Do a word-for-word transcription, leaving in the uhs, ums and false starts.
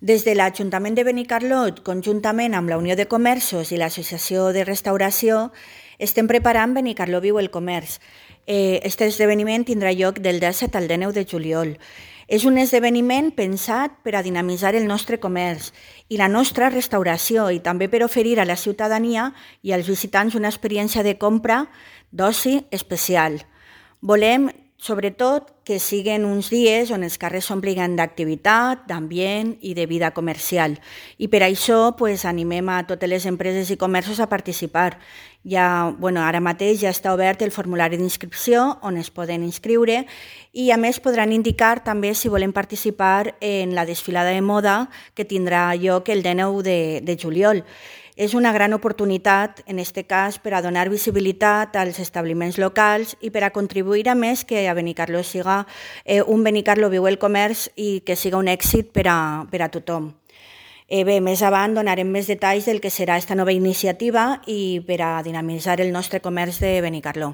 Des de l'Ajuntament de Benicarlot, conjuntament amb la Unió de Comerços i l'Associació de Restauració, estem preparant Benicarló Viu el Comerç. Aquest esdeveniment tindrà lloc del disset al dinou de juliol. És un esdeveniment pensat per a dinamitzar el nostre comerç i la nostra restauració i també per oferir a la ciutadania i als visitants una experiència de compra d'oci especial. Volem, sobretot, que siguin uns dies on els carrers s'ompliguin d'activitat, d'ambient i de vida comercial. I per això pues, animem a totes les empreses i comerços a participar. Ja, bueno, ara mateix ja està obert el formulari d'inscripció on es poden inscriure i a més podran indicar també si volen participar en la desfilada de moda que tindrà lloc el dinou de, de juliol. És una gran oportunitat, en aquest cas, per a donar visibilitat als establiments locals i per a contribuir a més que a Benicarló siga eh, un Benicarló Viu el Comerç i que siga un èxit per a, per a tothom. Eh, bé, més avant donarem més detalls del que serà aquesta nova iniciativa i per a dinamitzar el nostre comerç de Benicarló.